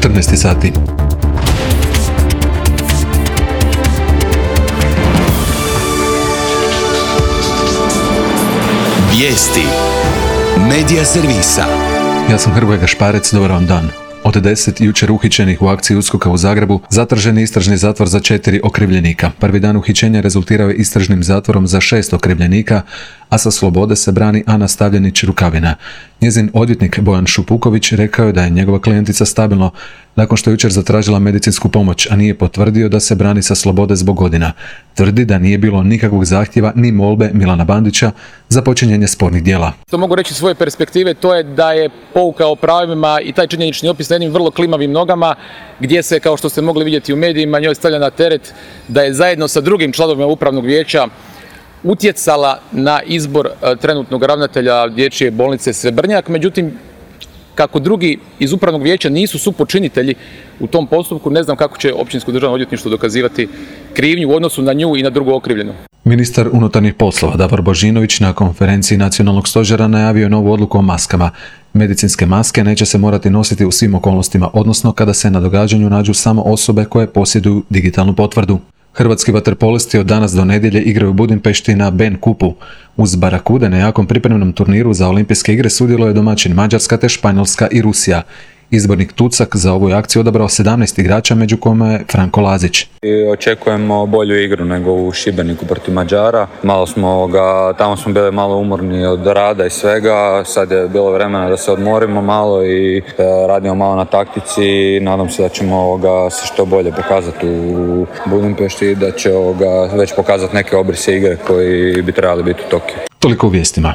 14 sati. Vijesti Medija servisa. Ja sam Hrvoje Gašparec, dobar vam dan. Od 10 jučer uhićenih u akciji USKOK-a u Zagrebu zatražen je istražni zatvor za 4 okrivljenika. Prvi dan uhićenja rezultirao je istražnim zatvorom za 6 okrivljenika, a sa slobode se brani Ana Stavljenić-Rukavina. Njezin odvjetnik Bojan Šupuković rekao je da je njegova klijentica stabilno nakon što je jučer zatražila medicinsku pomoć, a nije potvrdio da se brani sa slobode zbog godina. Tvrdi da nije bilo nikakvog zahtjeva ni molbe Milana Bandića za počinjenje spornih djela. To mogu reći iz svoje perspektive, to je da je pouka o pravima i taj činjenični opis na jednim vrlo klimavim nogama, gdje se, kao što ste mogli vidjeti u medijima, njoj stavlja na teret da je zajedno sa drugim članovima upravnog vijeća utjecala na izbor trenutnog ravnatelja dječje bolnice Srebrnjak. Međutim, kako drugi iz upravnog vijeća nisu supočinitelji u tom postupku, ne znam kako će Općinsko državno odvjetništvo dokazivati krivnju u odnosu na nju i na drugu okrivljenu. Ministar unutarnjih poslova Davor Božinović na konferenciji Nacionalnog stožera najavio je novu odluku o maskama. Medicinske maske neće se morati nositi u svim okolnostima, odnosno kada se na događanju nađu samo osobe koje posjeduju digitalnu potvrdu. Hrvatski vaterpolisti od danas do nedjelje igraju u Budimpešti na Ben Kupu. Uz Barakude na jakom pripremnom turniru za olimpijske igre sudjeluje domaćin Mađarska te Španjolska i Rusija. Izbornik Tucak za ovu akciju odabrao 17 igrača, među kojima je Franko Lazić. Očekujemo bolju igru nego u Šibeniku protiv Mađara. Tamo smo bili malo umorni od rada i svega. Sad je bilo vremena da se odmorimo malo i radimo malo na taktici. Nadam se da ćemo se što bolje pokazati u Budimpešti i da će već pokazati neke obrise igre koji bi trebali biti u Tokiju. Toliko u vijestima.